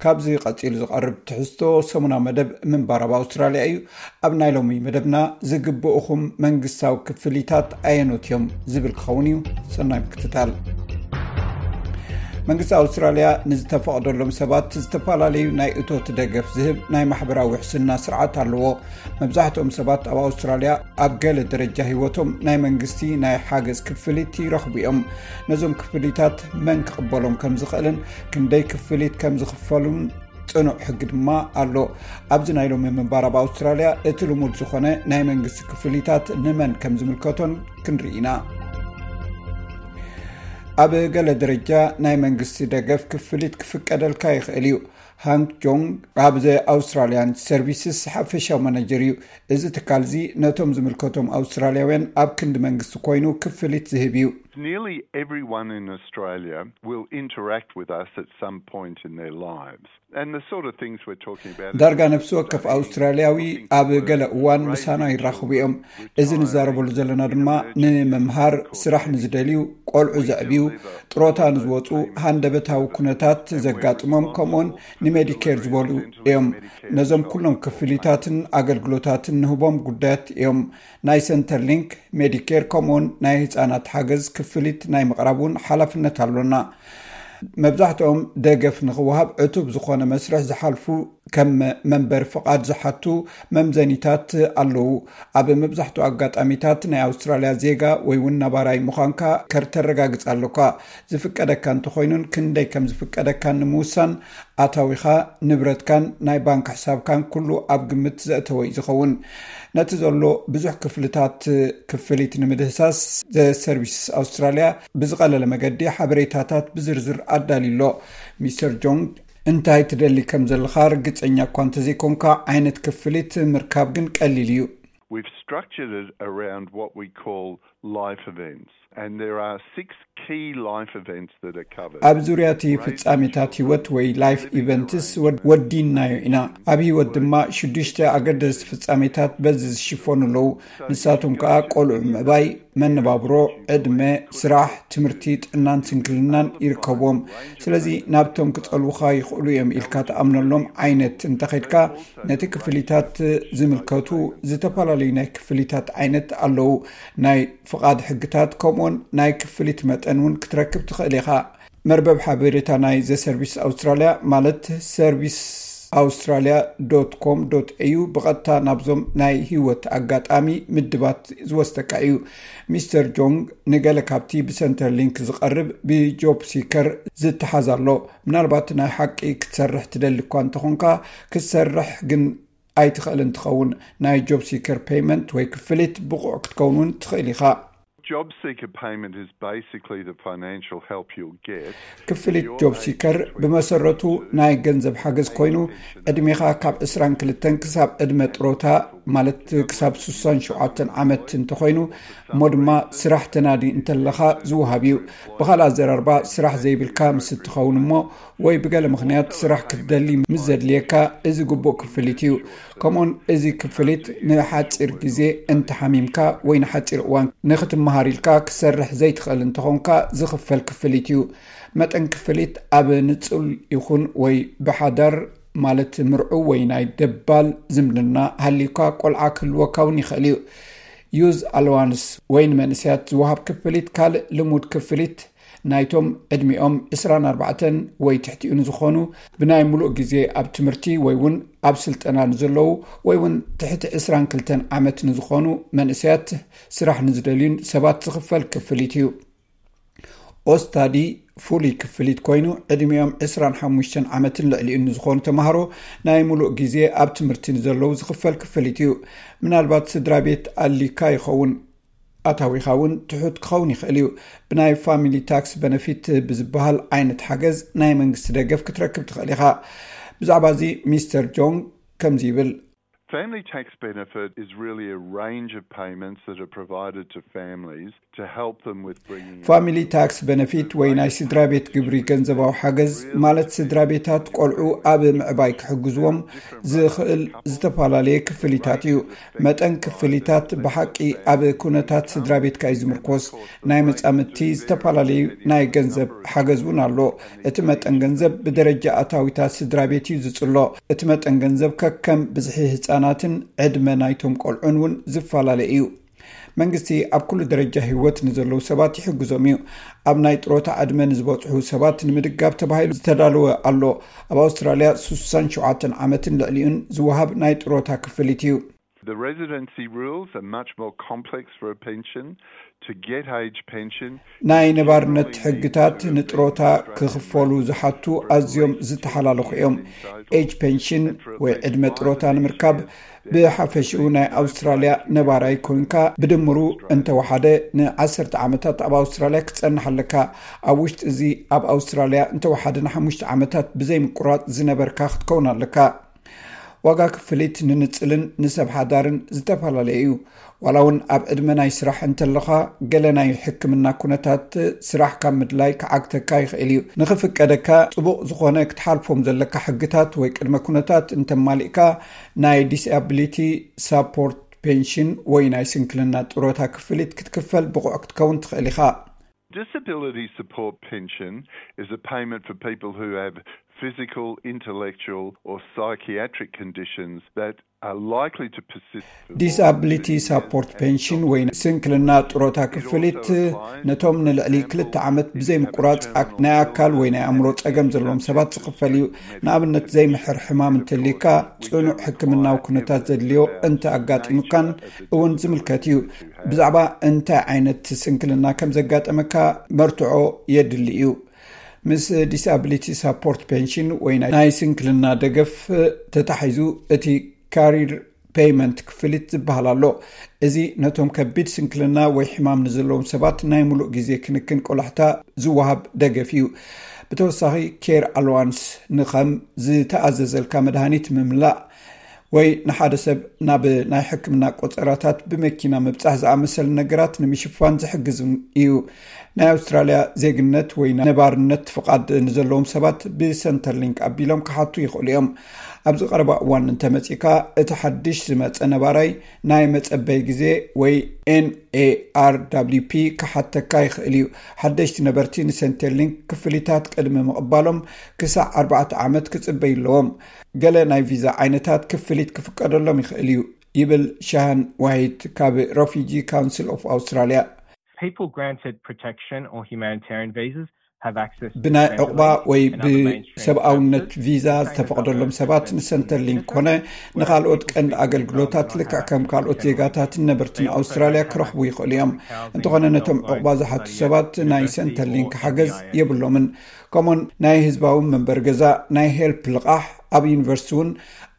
ካብዚ ቀጺሉ ዝቐርብ ትሕዝቶ ሰሙናዊ መደብ ምንባር ኣብ ኣውስትራልያ እዩ። ኣብ ናይ ሎሚ መደብና፣ ዝግብኡኹም መንግስታዊ ክፍሊታት ኣየኖት እዮም ዝብል ክኸውን እዩ። ሰናይ ምክትታል። መንግስቲ ኣውስትራልያ ንዝተፈቕደሎም ሰባት ዝተፈላለዩ ናይ እቶት ደገፍ ዝህብ ናይ ማሕበራዊ ውሕስና ስርዓት ኣለዎ። መብዛሕትኦም ሰባት ኣብ ኣውስትራልያ ኣብ ገለ ደረጃ ህይወቶም ናይ መንግስቲ ናይ ሓገዝ ክፍሊት ይረኽቡ እዮም። ነዞም ክፍሊታት መን ክቕበሎም ከም ዝኽእልን ክንደይ ክፍሊት ከም ዝኽፈሉን ጽኑዕ ሕጊ ድማ ኣሎ። ኣብዚ ናይ ሎሚ ምንባር ኣብ ኣውስትራልያ፣ እቲ ልሙድ ዝኾነ ናይ መንግስቲ ክፍሊታት ንመን ከም ዝምልከቶን ክንርኢ ኢና። ኣብ ገለ ደረጃ ናይ መንግስቲ ደገፍ ክፍሊት ክፍቀደልካ ይኽእል እዩ። ሃንክ ጆንግ ኣብ ዘ ኣውስትራልያን ሰርቪስስ ሓፈሻዊ ማናጀር እዩ። እዚ ትካል እዚ ነቶም ዝምልከቶም ኣውስትራልያውያን ኣብ ክንዲ መንግስቲ ኮይኑ ክፍሊት ዝህብ እዩ። Nearly everyone in Australia will interact with us at some point in their lives. And the sort of things we're talking about is ዳርጋ ነፍሲ ወከፍ ኣውስትራልያዊ ኣብ ገለ እዋን ምሳና ይራኸቡ እዮም። እዚ ንዛረበሉ ዘለና ድማ ንምምሃር፣ ስራሕ ንዝደልዩ፣ ቆልዑ ዘዕብዩ፣ ጥሮታ ንዝወፁ፣ ሃንደበታዊ ኩነታት ዘጋጥሞም፣ ከምኡውን ንሜዲኬር ዝበሉ እዮም። ነዞም ኩሎም ክፍሊታትን ኣገልግሎታትን ንህቦም ጉዳያት እዮም። ናይ ሰንተር ሊንክ፣ ሜዲኬር፣ ከምኡውን ናይ ህፃናት ሓገዝ ክፍሊት ናይ ምቕራብ እውን ሓላፍነት ኣሎና። መብዛሕትኦም ደገፍ ንኽወሃብ ዕቱብ ዝኾነ መስርሕ ዝሓልፉ፣ ከም መንበሪ ፍቓድ ዝሓቱ መምዘኒታት ኣለዉ። ኣብ መብዛሕትኡ ኣጋጣሚታት ናይ ኣውስትራልያ ዜጋ ወይ እውን ነባራይ ምዃንካ ከርተረጋግጽ ኣለኳ። ዝፍቀደካ እንተኾይኑን ክንደይ ከም ዝፍቀደካን ንምውሳን፣ ኣታዊኻ፣ ንብረትካን ናይ ባንክ ሕሳብካን ኩሉ ኣብ ግምት ዘእተወ እዩ ዝኸውን። ነቲ ዘሎ ብዙሕ ክፍልታት ክፍሊት ንምድህሳስ፣ ዘ ሰርቪስ ኣውስትራልያ ብዝቐለለ መገዲ ሓበሬታታት ብዝርዝር ኣዳልዩ ኣሎ። ሚስተር ጆንግ፣ እንታይ ትደሊ ከም ዘለኻ ርግጸኛ እኳ እንተዘይኮንካ፣ ዓይነት ክፍሊት ምርካብ ግን ቀሊል እዩ። We've structured it around what we call life events. And there are six key life events that are covered. ኣብ ዙርያ እቲ ፍጻሜታት ህይወት ወይ ላይፍ ኢቨንትስ ወድ- ወዲናዮ ኢና። ኣብ ህይወት ድማ ሽዱሽተ ኣገደስቲ ፍጻሜታት በዚ ዝሽፈኑ ኣለዉ። ንሳቶም ከኣ ቆልዑ ምዕባይ፣ መነባብሮ፣ ዕድመ፣ ስራሕ፣ ትምህርቲ፣ ጥዕናን ስንክልናን ይርከብዎም። ስለዚ ናብቶም ክጸልዉኻ ይኽእሉ እዮም ኢልካ ትኣምነሎም ዓይነት እንተኸድካ፣ ነቲ ክፍሊታት ዝምልከቱ ዝተፈላለዩ ናይ ክፍሊታት ዓይነት ኣለዉ። ናይ ፍቓድ ሕግታት፣ ከምኡውን ናይ ክፍሊት መጠን እውን ክትረክብ ትኽእል ኢኻ። መርበብ ሓበሬታ ናይ ዘ ሰርቪስ ኣውስትራልያ፣ ማለት ሰርቪስ ኣውስትራልያ ዶት ኮም ዶት ኤዩ፣ ብቐጥታ ናብዞም ናይ ህይወት ኣጋጣሚ ምድባት ዝወስደካ እዩ። ሚስተር ጆንግ፣ ንገለ ካብቲ ብሰንተር ሊንክ ዝቐርብ ብጆብ ሲከር ዝተሓዝ ኣሎ። ምናልባት ናይ ሓቂ ክትሰርሕ ትደሊ እኳ እንተኾንካ፣ ክትሰርሕ ግን ኣይትኽእልን ትኸውን። ናይ ጆብ ሲከር ፔይመንት ወይ ክፍሊት ብቑዕ ክትከውን እውን ትኽእል ኢኻ። Job seeker payment is basically the financial help you'll get. ክፍሊት ጆብ ሲከር ብመሰረቱ ናይ ገንዘብ ሓገዝ ኮይኑ፣ ዕድሜኻ ካብ ዕስራን ክልተን ክሳብ ዕድመ ጥሮታ፣ ማለት ክሳብ ስሳን ሸውዓተን ዓመት እንተኾይኑ፣ እሞ ድማ ስራሕ ተናዲ እንተለኻ ዝወሃብ እዩ። ብኻልእ ኣዘራርባ፣ ስራሕ ዘይብልካ ምስ እትኸውን እሞ፣ ወይ ብገለ ምኽንያት ስራሕ ክትደሊ ምስ ዘድልየካ፣ እዚ ግቡእ ክፍሊት እዩ። ከምኡውን እዚ ክፍሊት ንሓጺር ግዜ እንተሓሚምካ ወይ ንሓጺር እዋን ንኽትመሃር ኢልካ ክትሰርሕ ዘይትኽእል እንተኾንካ ዝኽፈል ክፍሊት እዩ። መጠን ክፍሊት ኣብ ንጹል ይኹን ወይ ብሓዳር፣ ማለት ምርዑው ወይ ናይ ደባል ዝምድና ሃልዩካ፣ ቆልዓ ክህልወካ እውን ይኽእል እዩ። ዩዝ ኣለዋንስ ወይ ንመንእሰያት ዝወሃብ ክፍሊት፣ ካልእ ልሙድ ክፍሊት፣ ናይቶም ዕድሚኦም ዕስራን ኣርባዕተን ወይ ትሕቲኡ ንዝኾኑ፣ ብናይ ሙሉእ ግዜ ኣብ ትምህርቲ ወይ እውን ኣብ ስልጠና ንዘለዉ፣ ወይ እውን ትሕቲ ዕስራን ክልተን ዓመት ንዝኾኑ መንእሰያት፣ ስራሕ ንዝደልዩን ሰባት ዝኽፈል ክፍሊት እዩ። ኦስታዲ ፍሉይ ክፍሊት ኮይኑ፣ ዕድሚኦም ዕስራን ሓሙሽተን ዓመትን ልዕሊኡን ንዝኾኑ ተምሃሮ፣ ናይ ሙሉእ ግዜ ኣብ ትምህርቲ ንዘለዉ ዝኽፈል ክፍሊት እዩ። ምናልባት ስድራ ቤት ኣሊካ ይኸውን፣ ኣታዊኻ እውን ትሑት ክኸውን ይኽእል እዩ። ብናይ ፋሚሊ ታክስ በነፊት ብዝበሃል ዓይነት ሓገዝ ናይ መንግስቲ ደገፍ ክትረክብ ትኽእል ኢኻ። ብዛዕባ እዚ ሚስተር ጆንግ ከምዚ ይብል። Family tax benefit is really a range of payments that are provided to families to help them with bringing up ፋሚሊ ታክስ በነፊት ወይ ናይ ስድራ ቤት ግብሪ ገንዘባዊ ሓገዝ ማለት ስድራ ቤታት ቆልዑ ኣብ ምዕባይ ክሕግዝዎም ዝኽእል ዝተፈላለየ ክፍሊታት እዩ። መጠን ክፍሊታት ብሓቂ ኣብ ኩነታት ስድራ ቤትካ እዩ ዝምርኮስ። ናይ መጻምድቲ ዝተፈላለዩ ናይ ገንዘብ ሓገዝ እውን ኣሎ። እቲ መጠን ገንዘብ ብደረጃ ኣታዊታት ስድራ ቤት እዩ ዝጽሎ። እቲ መጠን ገንዘብ ከከም ብዝሒ ህጻናትን ዕድመ ናይቶም ቆልዑን እውን ዝፈላለ እዩ። መንግስቲ ኣብ ኩሉ ደረጃ ህይወት ንዘለዉ ሰባት ይሕግዞም እዩ። ኣብ ናይ ጥሮታ ዕድመ ንዝበጽሑ ሰባት ንምድጋፍ ተባሂሉ ዝተዳለወ ኣሎ። ኣብ ኣውስትራልያ ስሳን ሸውዓተን ዓመትን ልዕሊኡን ዝወሃብ ናይ ጥሮታ ክፍሊት እዩ። The residency rules are much more complex for a pension. To get age pension, ናይ ነባርነት ሕግታት ንጥሮታ ክኽፈሉ ዝሓቱ ኣዝዮም ዝተሓላለኹ እዮም። ኤጅ ፔንሽን ወይ ዕድመ ጥሮታ ንምርካብ ብሓፈሽኡ ናይ ኣውስትራልያ ነባራይ ኮንካ ብድምሩ እንተወሓደ ንዓሰርተ ዓመታት ኣብ ኣውስትራልያ ክትጸንሕ ኣለካ። ኣብ ውሽጢ እዚ ኣብ ኣውስትራልያ እንተወሓደ ንሓሙሽተ ዓመታት ብዘይ ምቁራጽ ዝነበርካ ክትከውን ኣለካ። ዋጋ ክፍሊት ንንጽልን ንሰብ ሓዳርን ዝተፈላለየ እዩ። ዋላ እውን ኣብ ዕድመ ናይ ስራሕ እንተለኻ ገለ ናይ ሕክምና ኩነታት ስራሕ ካብ ምድላይ ክዓግተካ ይኽእል እዩ። ንኽፍቀደካ ጽቡቕ ዝኾነ ክትሓልፎም ዘለካ ሕግታት ወይ ቅድመ ኩነታት እንተማሊእካ ናይ ዲስኣቢሊቲ ሳፖርት ፔንሽን ወይ ናይ ስንክልና ጥሮታ ክፍሊት ክትክፈል ብቑዕ ክትከውን ትኽእል ኢኻ። Disability support pension is a payment for people who have physical, intellectual or psychiatric conditions that are likely to persist. ዲስኣቢሊቲ ሳፖርት ፔንሽን ወይ ስንክልና ጥሮታ ክፍሊት ነቶም ንልዕሊ ክልተ ዓመት ብዘይ ምቁራጽ ናይ ኣካል ወይ ናይ ኣእምሮ ጸገም ዘለዎም ሰባት ዝኽፈል እዩ። ንኣብነት ዘይምሕር ሕማም እንተልዩካ፣ ጽኑዕ ሕክምናዊ ኩነታት ዘድልዮ እንተ ኣጋጢሙካን እውን ዝምልከት እዩ። ብዛዕባ እንታይ ዓይነት ስንክልና ከም ዘጋጠመካ መርትዖ የድሊ እዩ። ምስ ዲስኣቢሊቲ ሳፖርት ፔንሽን ወይ ናይ ስንክልና ደገፍ ተታሒዙ እቲ ካሪር ፔይመንት ክፍሊት ዝበሃል ኣሎ። እዚ ነቶም ከቢድ ስንክልና ወይ ሕማም ንዘለዎም ሰባት ናይ ሙሉእ ግዜ ክንክን ቆላሕታ ዝወሃብ ደገፍ እዩ። ብተወሳኺ ኬር ኣሎዋንስ ንኸም ዝተኣዘዘልካ መድሃኒት ምምላእ ወይ ንሓደ ሰብ ናብ ናይ ሕክምና ቆጸራታት ብመኪና ምብጻሕ ዝኣመሰለ ነገራት ንምሽፋን ዝሕግዝ እዩ። ናይ ኣውስትራልያ ዜግነት ወይ ነባርነት ፍቓድ ንዘለዎም ሰባት ብሰንተርሊንክ ኣቢሎም ክሓቱ ይኽእሉ እዮም። ኣብዚ ቀረባ እዋን እንተመጺእካ እቲ ሓድሽ ዝመጸ ነባራይ ናይ መጸበይ ግዜ ወይ ኤንኤኣርዳብሊፒ ክሓተካ ይኽእል እዩ። ሓደሽቲ ነበርቲ ንሰንተርሊንክ ክፍሊታት ቅድሚ ምቕባሎም ክሳዕ ኣርባዕተ ዓመት ክጽበዩ ኣለዎም። ገለ ናይ ቪዛ ዓይነታት ክፍሊት ክፍቀደሎም ይኽእል እዩ ይብል ሻሃን ዋይት ካብ Refugee Council of Australia። People granted protection or humanitarian visas have access to ብናይ ዕቑባ ወይ ብሰብኣውነት ቪዛ ዝተፈቐደሎም ሰባት ንሰንተርሊንክ ኮነ ንኻልኦት ቀንዲ ኣገልግሎታት ልክዕ ከም ካልኦት ዜጋታትን ነበርትን ኣውስትራልያ ክረኽቡ ይኽእሉ እዮም። እንተኾነ ነቶም ዕቑባ ዝሓቱ ሰባት ናይ ሰንተርሊንክ ሓገዝ የብሎምን። ከምኡውን ናይ ህዝባዊ መንበሪ ገዛ፣ ናይ ሄልፕ ልቓሕ፣ ኣብ ዩኒቨርሲቲ እውን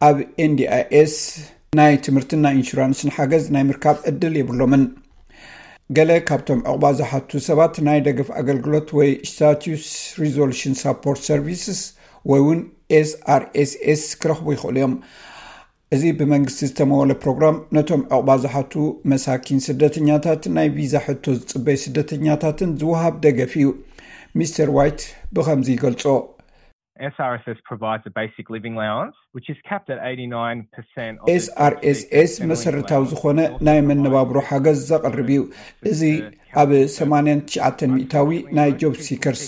ኣብ ኤንዲኣይኤስ ናይ ትምህርትን ናይ ኢንሹራንስን ሓገዝ ናይ ምርካብ ዕድል የብሎምን። ገለ ካብቶም ዕቑባ ዝሓቱ ሰባት ናይ ደገፍ ኣገልግሎት ወይ ስታቱስ ሪዞሉሽን ሳፖርት ሰርቪስስ ወይ እውን ኤስኣርኤስኤስ ክረኽቡ ይኽእሉ እዮም። እዚ ብመንግስቲ ዝተመወለ ፕሮግራም ነቶም ዕቑባ ዝሓቱ መሳኪን ስደተኛታት ናይ ቪዛ ሕቶ ዝጽበዩ ስደተኛታትን ዝወሃብ ደገፍ እዩ። ሚስተር ዋይት ብኸምዚ ይገልጾ። SRSS provides a basic living allowance, which is capped at eighty-nine percent of the ኤስኣርኤስኤስ መሰረታዊ ዝኾነ ናይ መነባብሮ ሓገዝ ዘቕርብ እዩ። እዚ ኣብ ሰማንያን ትሽዓተን ሚእታዊ ናይ ጆብ ሲከርስ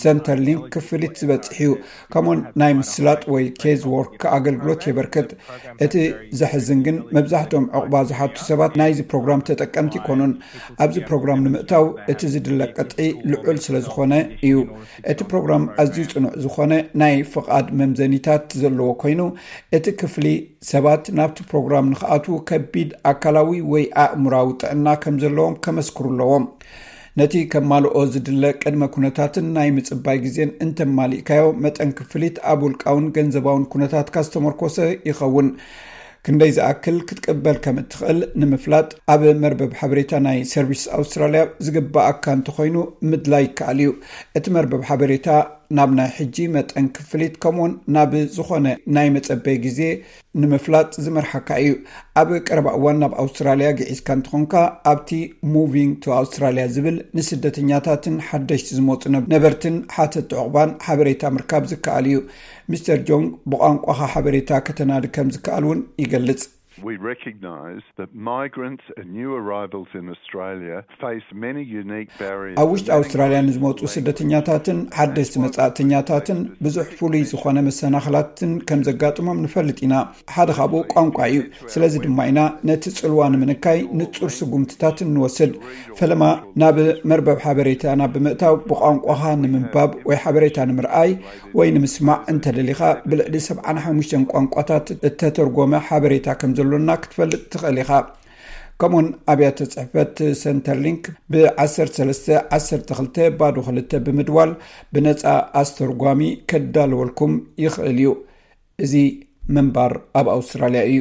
ሰንተርሊንክ ክፍሊት ዝበጽሕ እዩ። ከምኡውን ናይ ምስላጥ ወይ ኬዝ ወርክ ኣገልግሎት የበርክት። እቲ ዘሕዝን ግን መብዛሕትኦም ዕቑባ ዝሓቱ ሰባት ናይዚ ፕሮግራም ተጠቀምቲ ይኮኑን። ኣብዚ ፕሮግራም ንምእታው እቲ ዝድለ ቅጥዒ ልዑል ስለ ዝኾነ እዩ። እቲ ፕሮግራም ኣዝዩ ጽኑዕ ዝኾነ ናይ ፍቓድ መምዘኒታት ዘለዎ ኮይኑ፣ እቲ ክፍሊ ሰባት ናብቲ ፕሮግራም ንኽኣትዉ ከቢድ ኣካላዊ ወይ ኣእምራዊ ጥዕና ከም ዘለዎም ከመስክሩ ኣለዎም። ነቲ ከማልኦ ዝድለ ቅድመ ኩነታትን ናይ ምጽባይ ግዜን እንተማሊእካዮ፣ መጠን ክፍሊት ኣብ ውልቃውን ገንዘባውን ኩነታትካ ዝተመርኮሰ ይኸውን። ክንደይ ዝኣክል ክትቅበል ከም እትኽእል ንምፍላጥ፣ ኣብ መርበብ ሓበሬታ ናይ ሰርቪስ ኣውስትራልያ ዝግባኣካ እንተኾይኑ ምድላይ ይከኣል እዩ። እቲ መርበብ ሓበሬታ ናብ ናይ ሕጂ መጠን ክፍሊት፣ ከምኡውን ናብ ዝኾነ ናይ መጸበይ ግዜ ንምፍላጥ ዝመርሓካ እዩ። ኣብ ቀረባ እዋን ናብ ኣውስትራልያ ግዒዝካ እንተኾንካ፣ ኣብቲ Moving to Australia ዝብል ንስደተኛታትን ሓደሽቲ ዝመጹ ነበርትን ሓተቲ ዕቑባን ሓበሬታ ምርካብ ዝከኣል እዩ። ሚስተር ጆንግ ብቋንቋኻ ሓበሬታ ከተናዲ ከም ዝከኣል እውን ይገልጽ። We recognise that migrants and new arrivals in Australia face many unique barriers. ኣብ ውሽጢ ኣውስትራልያ ንዝመፁ ስደተኛታትን ሓደሽቲ መፃእተኛታትን ብዙሕ ፍሉይ ዝኾነ መሰናኽላትን ከም ዘጋጥሞም ንፈልጥ ኢና። ሓደ ካብኡ ቋንቋ እዩ። ስለዚ ድማ ኢና ነቲ ፅልዋ ንምንካይ ንፁር ስጉምትታት እንወስድ። ፈለማ ናብ መርበብ ሓበሬታና ብምእታው ብቋንቋኻ ንምንባብ ወይ ሓበሬታ ንምርኣይ ወይ ንምስማዕ እንተደሊኻ ብልዕሊ ሰብዓን ሓሙሽተን ቋንቋታት እተተርጎመ ሓበሬታ ከም ዘሎና ክትፈልጥ ትኽእል ኢኻ። ከምኡን ኣብያተ ጽሕፈት ሰንተርሊንክ ብ1312 ብምድዋል ብነጻ ኣስተርጓሚ ከዳልወልኩም ይኽእል እዩ። እዚ ምንባር ኣብ ኣውስትራልያ እዩ።